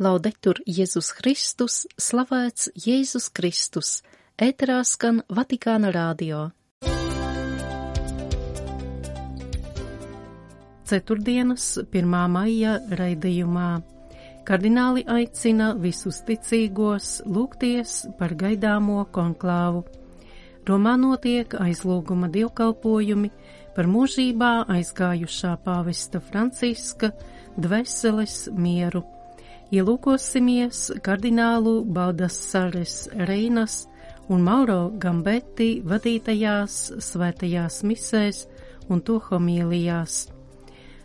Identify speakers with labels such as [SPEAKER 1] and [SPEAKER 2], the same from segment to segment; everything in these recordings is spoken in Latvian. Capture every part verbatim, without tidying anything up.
[SPEAKER 1] Laudetur Jēzus Kristus, slavēts Jēzus Kristus, ēterā skan Vatikāna radio. Ceturtdienas pirmā maija raidījumā kardināli aicina visus ticīgos lūgties par gaidāmo konklāvu. Romā notiek aizlūguma dievkalpojumi par mūžībā aizgājušā pāvesta Franciska dvēseles mieru. Ielūkosimies kardinālu Baldasares Reinas un Mauro Gambetti vadītajās svētajās misēs un to homīlijās.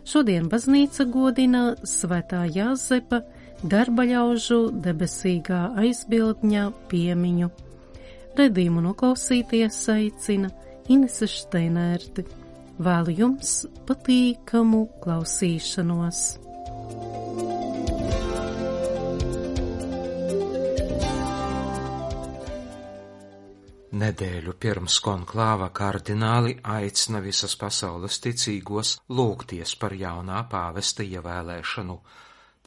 [SPEAKER 1] Šodien baznīca godina svētā Jāzepa darbaļaužu debesīgā aizbildņa piemiņu. Redījumu noklausīties aicina Inese Šteinērti. Vēlu jums patīkamu klausīšanos.
[SPEAKER 2] Nedēļu pirms konklāva kardināli aicina visas pasaules ticīgos lūgties par jaunā pāvesta ievēlēšanu.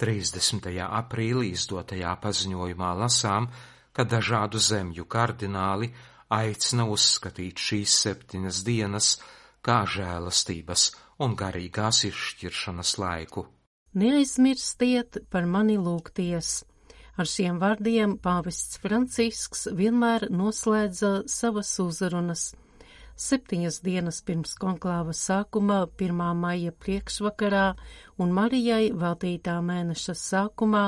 [SPEAKER 2] trīsdesmitajā aprīlī izdotajā paziņojumā lasām, ka dažādu zemju kardināli aicina uzskatīt šīs septiņas dienas kā žēlastības un garīgās izšķiršanas laiku.
[SPEAKER 1] Neaizmirstiet par mani lūgties. Ar šiem vārdiem pāvests Francisks vienmēr noslēdza savas uzrunas. Septiņas dienas pirms konklāva sākuma, pirmā maija priekšvakarā un Marijai veltītā mēneša sākumā,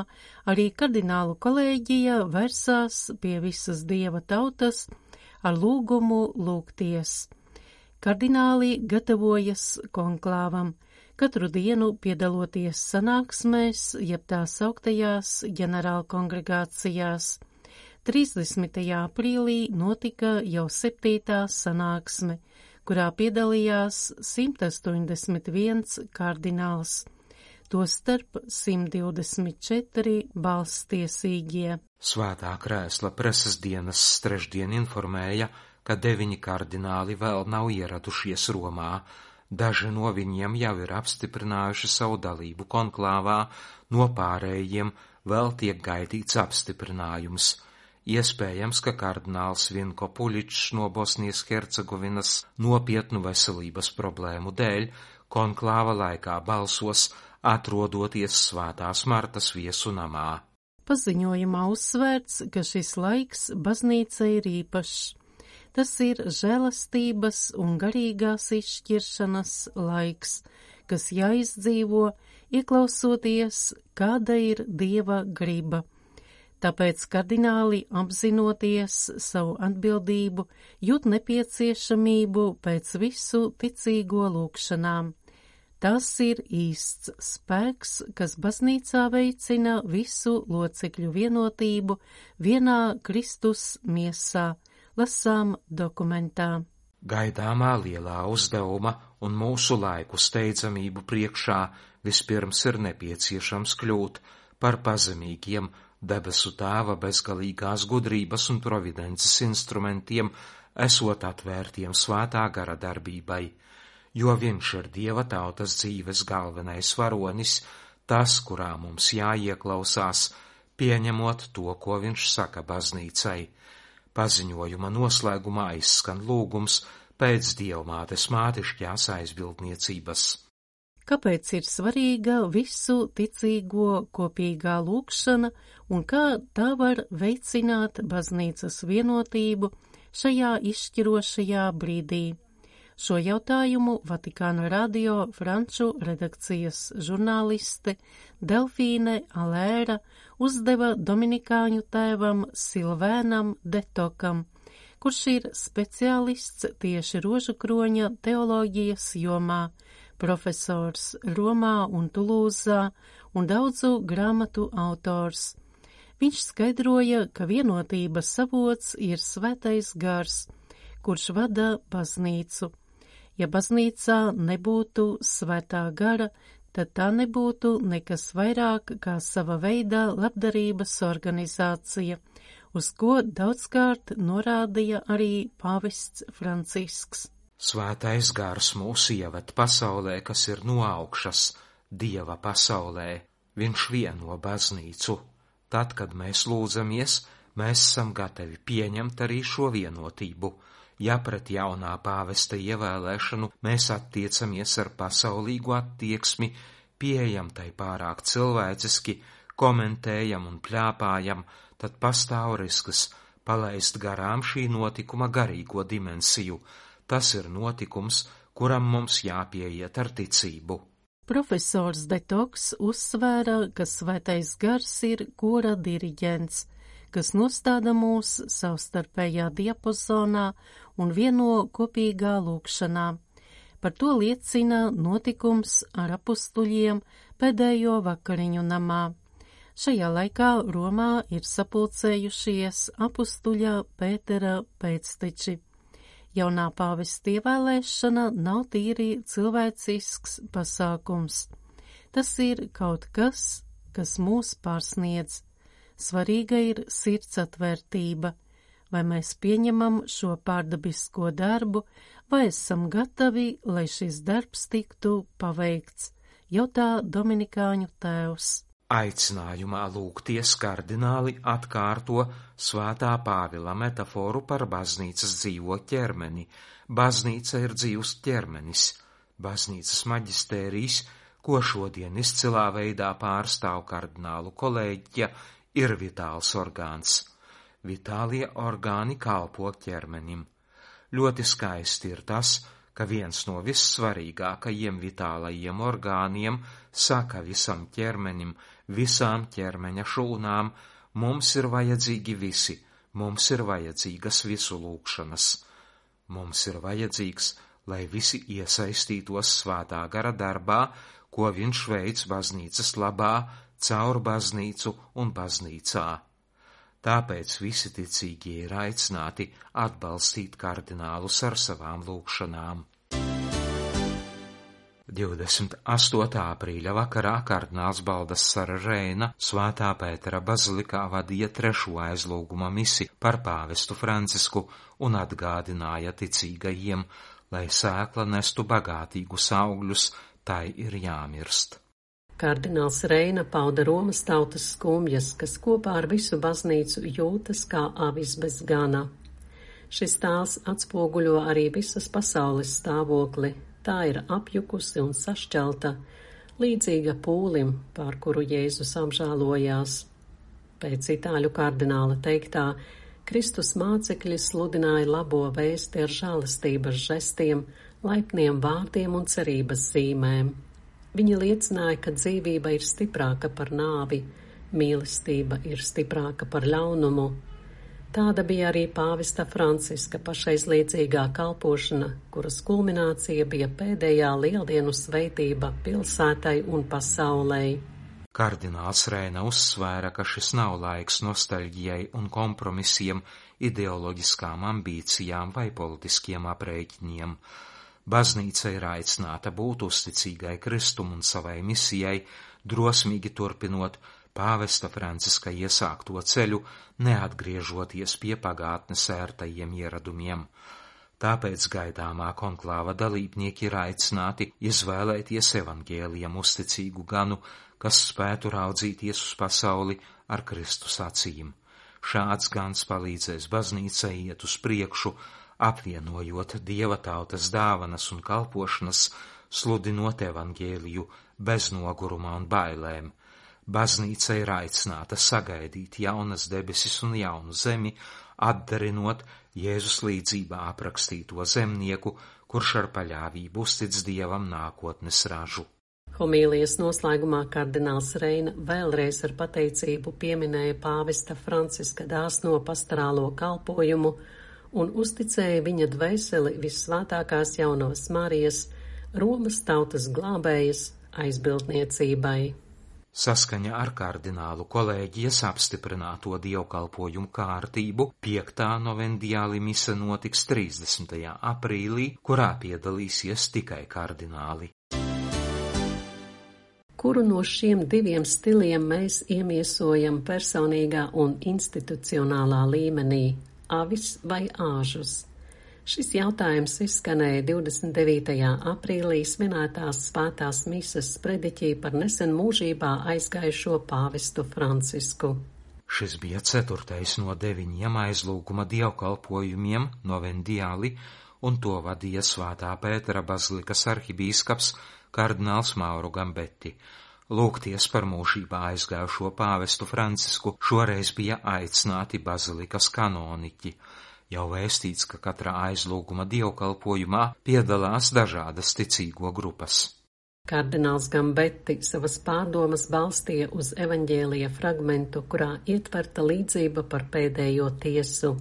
[SPEAKER 1] arī kardinālu kolēģija versās pie visas dieva tautas ar lūgumu lūgties. Kardināli gatavojas konklāvam. Katru dienu piedaloties sanāksmēs, jeb tā sauktajās ģenerālkongregācijās. trīsdesmitajā aprīlī notika jau septītā sanāksme, kurā piedalījās simt astoņdesmit viens kardināls, tostarp simt divdesmit četri balsstiesīgie.
[SPEAKER 2] Svētā krēsla preses dienas trešdien informēja, ka deviņi kardināli vēl nav ieradušies Romā. Daži no viņiem jau ir apstiprinājuši savu dalību konklāvā, no pārējiem vēl tiek gaidīts apstiprinājums. Iespējams, ka kardināls Vinko Puļičs no Bosnijas Hercegovinas nopietnu veselības problēmu dēļ konklāva laikā balsos, atrodoties Svētās Martas viesu namā.
[SPEAKER 1] Paziņojumā uzsvērts, ka šis laiks baznīca ir īpašs. Tas ir žēlastības un garīgās izšķiršanas laiks, kas jāizdzīvo, ieklausoties, kāda ir Dieva griba. Tāpēc kardināli, apzinoties savu atbildību, jūt nepieciešamību pēc visu ticīgo lūgšanām. Tas ir īsts spēks, kas baznīcā veicina visu locekļu vienotību vienā Kristus miesā. Lasām dokumentā.
[SPEAKER 2] Gaidāmā lielā uzdevuma un mūsu laiku steidzamību priekšā vispirms ir nepieciešams kļūt par pazemīgiem debesu Tēva bezgalīgās gudrības un providences instrumentiem, esot atvērtiem svētā gara darbībai, jo viņš ir Dieva tautas dzīves galvenais varonis, tas, kurā mums jāieklausās, pieņemot to, ko viņš saka baznīcai. Paziņojuma noslēgumā izskan lūgums pēc Dievmātes mātišķās aizbildniecības.
[SPEAKER 1] Kāpēc ir svarīga visu ticīgo kopīgā lūgšana un kā tā var veicināt baznīcas vienotību šajā izšķirošajā brīdī? Šo jautājumu Vatikāna radio franču redakcijas žurnāliste Delfīne Alēra uzdeva dominikāņu tēvam Silvēnam Detokam, kurš ir speciālists tieši rožukroņa teoloģijas jomā, profesors Romā un Tulūzā un daudzu grāmatu autors. Viņš skaidroja, ka vienotības avots ir svētais gars, kurš vada baznīcu. Ja baznīcā nebūtu svētā gara, tad tā nebūtu nekas vairāk kā sava veida labdarības organizācija, uz ko daudzkārt norādīja arī pāvests Francisks.
[SPEAKER 2] Svētais gars mūs ieved pasaulē, kas ir no augšas, Dieva pasaulē. Viņš vieno baznīcu. Tad, kad mēs lūdzamies, mēs esam gatavi pieņemt arī šo vienotību. Ja pret jaunā pāvesta ievēlēšanu mēs attiecamies ar pasaulīgu attieksmi, pieejam tai pārāk cilvēciski, komentējam un pļāpājam, tad pastāv risks palaist garām šī notikuma garīgo dimensiju. Tas ir notikums, kuram mums jāpieiet ar ticību.
[SPEAKER 3] Profesors Detoks uzsvēra, ka svētais gars ir kora diriģents, kas nostāda mūs savstarpējā diapazonā un vieno kopīgā lūkšanā. Par to liecina notikums ar apustuļiem pēdējo vakariņu namā. Šajā laikā Romā ir sapulcējušies apustuļa Pētera pēcteči. Jaunā pāvesta ievēlēšana nav tīri cilvēcisks pasākums. Tas ir kaut kas, kas mūs pārsniedz. Svarīga ir sirds atvērtība, vai mēs pieņemam šo pārdabisko darbu, vai esam gatavi, lai šis darbs tiktu paveikts, jautā dominikāņu tēvs.
[SPEAKER 2] Aicinājumā lūgties kardināli atkārto svētā Pāvila metaforu par baznīcas dzīvo ķermeni. Baznīca ir dzīvs ķermenis. Baznīcas maģistērijs, ko šodien izcilā veidā pārstāv kardinālu kolēģija, ir vitāls orgāns. Vitālie orgāni kalpo ķermenim. Ļoti skaisti ir tas, ka viens no vissvarīgākajiem vitālajiem orgāniem saka visam ķermenim, visām ķermeņa šūnām, mums ir vajadzīgi visi, mums ir vajadzīgas visu lūgšanas. Mums ir vajadzīgs, lai visi iesaistītos svētā gara darbā, ko viņš veic baznīcas labā, caur baznīcu un baznīcā. Tāpēc visi ticīgie ir aicināti atbalstīt kardinālus ar savām lūgšanām. divdesmit astotā aprīļa vakarā kardināls Baldassare Reina Svētā Pētera bazilikā vadīja trešo aizlūguma misi par pāvestu Francisku un atgādināja ticīgajiem, lai sēkla nestu bagātīgus augļus, tai ir jāmirst.
[SPEAKER 3] Kardināls Reina pauda Romas tautas skumjas, kas kopā ar visu baznīcu jūtas kā avis bez gana. Šis tēls atspoguļo arī visas pasaules stāvokli. Tā ir apjukusi un sašķelta, līdzīga pūlim, pār kuru Jēzus apžēlojās. Pēc itāļu kardināla teiktā, Kristus mācekļi sludināja labo vēsti ar žēlastības žestiem, laipniem vārdiem un cerības zīmēm. Viņi liecināja, ka dzīvība ir stiprāka par nāvi, mīlestība ir stiprāka par ļaunumu. Tāda bija arī pāvesta Franciska pašaizliedzīgā kalpošana, kuras kulminācija bija pēdējā lieldienu svētība pilsētai un pasaulei.
[SPEAKER 2] Kardināls Reina uzsvēra, ka šis nav laiks nostalģijai un kompromisiem, ideoloģiskām ambīcijām vai politiskiem aprēķiniem. Baznīca ir aicināta būt uzticīgai Kristum un savai misijai, drosmīgi turpinot pāvesta Franciska iesākto ceļu, neatgriežoties pie pagātnes ērtajiem ieradumiem. Tāpēc gaidāmā konklāva dalībnieki ir aicināti izvēlēties evaņģēlijam uzticīgu ganu, kas spētu raudzīties uz pasauli ar Kristus acīm. Šāds gans palīdzēs baznīcai iet uz priekšu, apvienojot Dieva tautas dāvanas un kalpošanas, sludinot evaņģēliju bez noguruma un bailēm. Baznīca ir aicināta sagaidīt jaunas debesis un jaunu zemi, atdarinot Jēzus līdzībā aprakstīto zemnieku, kurš ar paļāvību uztic Dievam nākotnes ražu.
[SPEAKER 3] Homīlijas noslēgumā kardināls Reina vēlreiz ar pateicību pieminēja pāvesta Franciska dāsno pastorālo kalpojumu un uzticēja viņa dvēseli vissvētākās jaunās Marijas, Romas tautas glābējas aizbildniecībai.
[SPEAKER 2] Saskaņā ar kardinālu kolēģijas apstiprināto dievkalpojumu kārtību piektā novendiāli mise notiks trīsdesmitajā aprīlī, kurā piedalīsies tikai kardināli.
[SPEAKER 3] Kuru no šiem diviem stiliem mēs iemiesojam personīgā un institucionālā līmenī, avis vai āžus? Šis jautājums izskanēja divdesmit devītajā aprīlī svinētās svētās mises sprediķī par nesen mūžībā aizgājušo pāvestu Francisku.
[SPEAKER 2] Šis bija ceturtais no deviņiem aizlūguma dievkalpojumiem novendiāli, un to vadīja Svētā Pētera bazilikas arhibīskaps kardināls Mauro Gambetti. Lūgties par mūžībā aizgājušo pāvestu Francisku šoreiz bija aicināti bazilikas kanoniķi. Jau vēstīts, ka katrā aizlūguma dievkalpojumā piedalās dažādas ticīgo grupas.
[SPEAKER 3] Kardināls Gambetti savas pārdomas balstīja uz evaņģēlija fragmentu, kurā ietverta līdzība par pēdējo tiesu.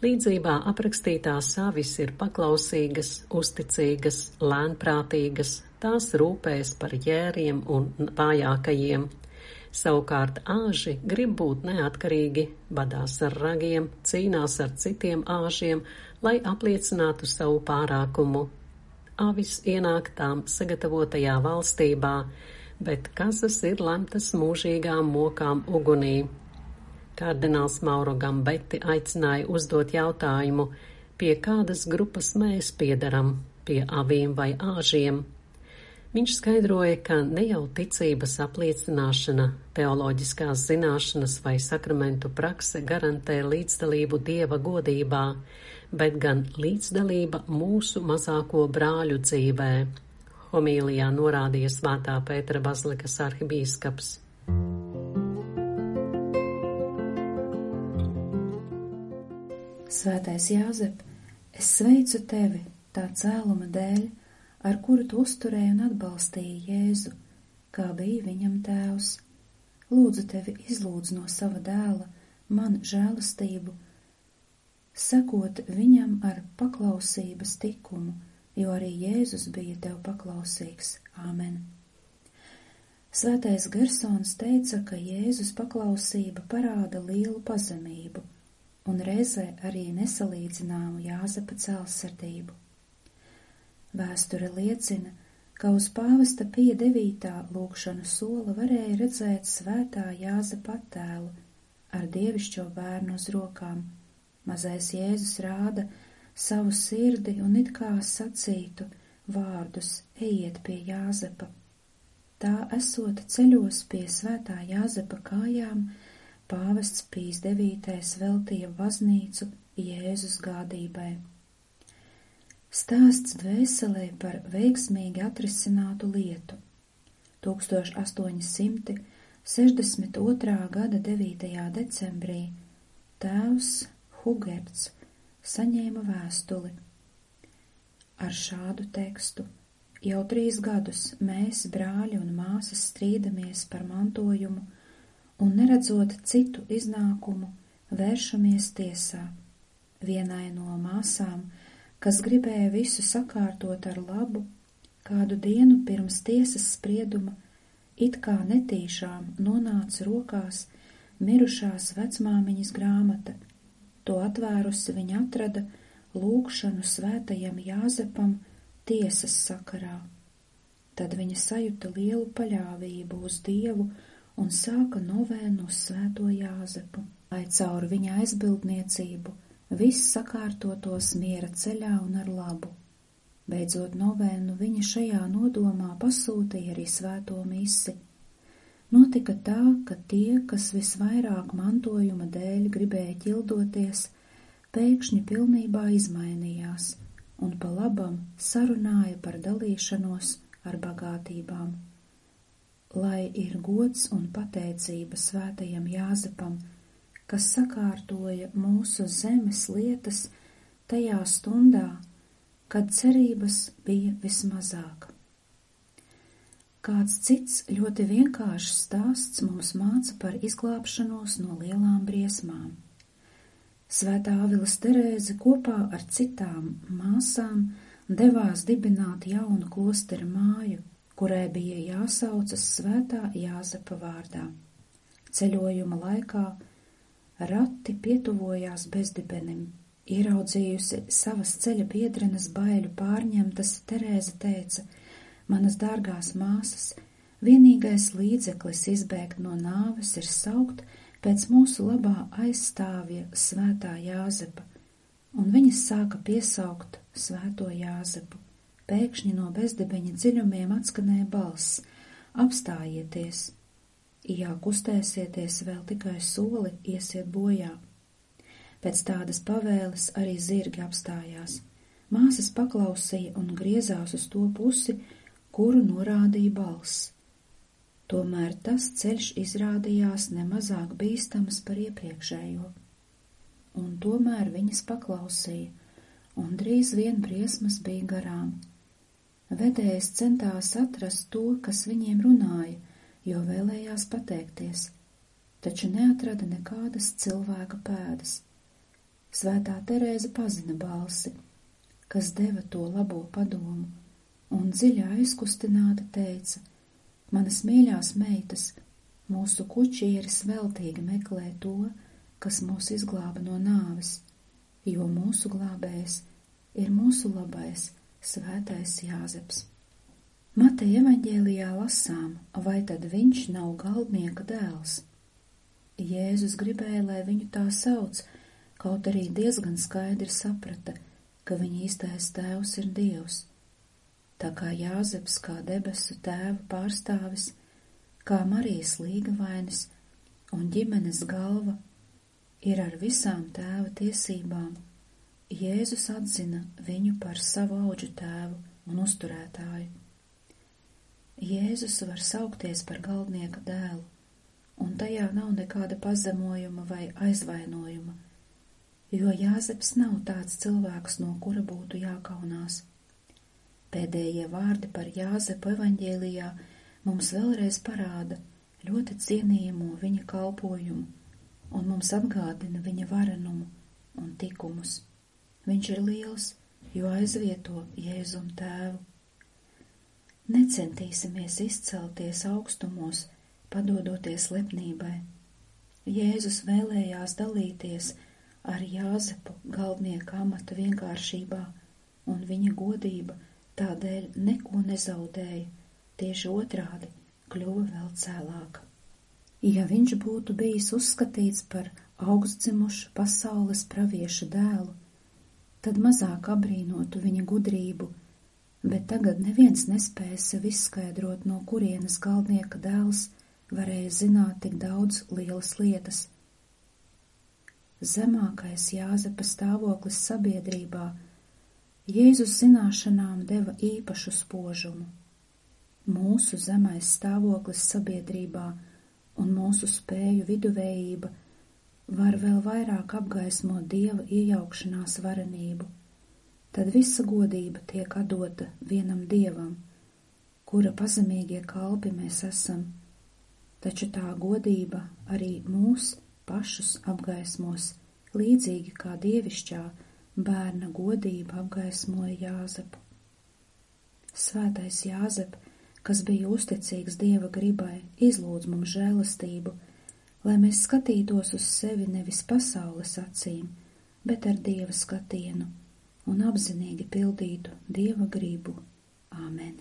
[SPEAKER 3] Līdzībā aprakstītās avis ir paklausīgas, uzticīgas, lēnprātīgas, tās rūpēs par jēriem un vājākajiem. Savukārt āži grib būt neatkarīgi, badās ar ragiem, cīnās ar citiem āžiem, lai apliecinātu savu pārākumu. Avis ienāk tām sagatavotajā valstībā, bet kazas ir lemtas mūžīgām mokām ugunī. Kardināls Mauro Gambetti aicināja uzdot jautājumu, pie kādas grupas mēs piedaram, pie avīm vai āžiem. Viņš skaidroja, ka ne jau ticības apliecināšana, teoloģiskās zināšanas vai sakramentu prakse garantē līdzdalību Dieva godībā, bet gan līdzdalība mūsu mazāko brāļu dzīvē, homīlijā norādīja Svētā Pētera bazilikas arhibīskaps.
[SPEAKER 4] Svētais Jāzep, es sveicu tevi tā cēluma dēļ, ar kuru tu uzturēji un atbalstīji Jēzu, kā bija viņam tēvs. Lūdzu tevi izlūdz no sava dēla man žēlastību, sekot viņam ar paklausības tikumu, jo arī Jēzus bija tev paklausīgs. Āmen. Svētais Gersons teica, ka Jēzus paklausība parāda lielu pazemību un reizē arī nesalīdzināmu Jāzepa cēlsirdību. Vēsture liecina, ka uz pāvesta Pija devītā lūgšanu sola varēja redzēt svētā Jāzepa attēlu ar dievišķo bērnu uz rokām. Mazais Jēzus rāda savu sirdi un it kā sacītu vārdus: ejiet pie Jāzepa. Tā esot ceļos pie svētā Jāzepa kājām, pāvests Pijs devītais veltīja baznīcu Jēzus gādībai. Stāsts dvēselē par veiksmīgi atrisinātu lietu. tūkstoš astoņi simti sešdesmit otrā gada devītajā decembrī tēvs Hugerts saņēma vēstuli ar šādu tekstu: jau trīs gadus mēs, brāļi un māsas, strīdamies par mantojumu un, neredzot citu iznākumu, vēršamies tiesā. Vienai no māsām, kas gribēja visu sakārtot ar labu, kādu dienu pirms tiesas sprieduma, it kā netīšām nonāca rokās mirušās vecmāmiņas grāmata. To atvērusi viņa atrada lūgšanu svētajam Jāzepam tiesas sakarā. Tad viņa sajuta lielu paļāvību uz Dievu un sāka novēnu uz svēto Jāzepu, lai caur viņa aizbildniecību viss sakārtotos miera ceļā un ar labu. Beidzot novēnu viņa šajā nodomā pasūtīja arī svēto misi. Notika tā, ka tie, kas visvairāk mantojuma dēļ gribēja ķildoties, pēkšņi pilnībā izmainījās un pa labam sarunāja par dalīšanos ar bagātībām. Lai ir gods un pateicība svētajam Jāzepam, kas sakārtoja mūsu zemes lietas tajā stundā, kad cerības bija vismazāk. Kāds cits ļoti vienkāršs stāsts mums māca par izglābšanos no lielām briesmām. Svētā Avilas Terēze kopā ar citām māsām devās dibināt jaunu klostera māju, kurai bija jāsaucas svētā Jāzepa vārdā. Ceļojuma laikā rati pietuvojās bezdibenim. Ieraudzījusi savas ceļa biedrenes baiļu pārņemtas, Terēze teica: manas dārgās māsas, vienīgais līdzeklis izbēgt no nāves ir saukt pēc mūsu labā aizstāvja svētā Jāzepa. un viņas sāka piesaukt svēto Jāzepu. Pēkšņi no bezdibeņa dziļumiem atskanēja balss: apstājieties! Ja kustēsieties vēl tikai soli, iesiet bojā. Pēc tādas pavēles arī zirgi apstājās. Māsas paklausīja un griezās uz to pusi, kuru norādīja balss. Tomēr tas ceļš izrādījās nemazāk bīstams par iepriekšējo. Un tomēr viņas paklausīja, un drīz vien briesmas bija garām. Vedējs centās atrast to, kas viņiem runāja, jo vēlējās pateikties, taču neatrada nekādas cilvēka pēdas. Svētā Terēze pazina balsi, kas deva to labo padomu, un dziļi aizkustināta teica: manas mīļās meitas, mūsu kučieris veltīgi meklē to, kas mūs izglāba no nāves, jo mūsu glābējs ir mūsu labais svētais Jāzeps. Mateja evaņģēlijā lasām, vai tad viņš nav galdnieka dēls? Jēzus gribēja, lai viņu tā sauc, kaut arī diezgan skaidri saprata, ka viņa īstais tēvs ir Dievs. Tā kā Jāzeps kā debesu tēva pārstāvis, kā Marijas līgavainis un ģimenes galva ir ar visām tēva tiesībām, Jēzus atzina viņu par savu auģu tēvu un uzturētāju. Jēzus var saukties par galdnieka dēlu, un tajā nav nekāda pazemojuma vai aizvainojuma, jo Jāzeps nav tāds cilvēks, no kura būtu jākaunās. Pēdējie vārdi par Jāzepu evaņģēlijā mums vēlreiz parāda ļoti cienījamo viņa kalpojumu un mums atgādina viņa varenumu un tikumus. Viņš ir liels, jo aizvieto Jēzum tēvu. Necentīsimies izcelties augstumos, padodoties lepnībai. Jēzus vēlējās dalīties ar Jāzepu galdnieka amata vienkāršībā, un viņa godība tādēļ neko nezaudēja, tieši otrādi kļuva vēl cēlāka. Ja viņš būtu bijis uzskatīts par augstdzimušu pasaules pravieša dēlu, tad mazāk abrīnotu viņa gudrību, bet tagad neviens nespēja sev izskaidrot, no kurienes galdnieka dēls varēja zināt tik daudz lielas lietas. Zemākais Jāzepa stāvoklis sabiedrībā Jēzus zināšanām deva īpašu spožumu. Mūsu zemais stāvoklis sabiedrībā un mūsu spēju viduvējība var vēl vairāk apgaismot Dieva iejaukšanās varenību. Tad visa godība tiek atdota vienam Dievam, kura pazemīgie kalpi mēs esam, taču tā godība arī mūs pašus apgaismos, līdzīgi kā dievišķā bērna godība apgaismoja Jāzepu. Svētais Jāzep, kas bija uzticīgs Dieva gribai, izlūdz mums žēlastību, lai mēs skatītos uz sevi nevis pasaules acīm, bet ar Dieva skatienu un apzinīgi pildītu Dieva gribu. Āmen.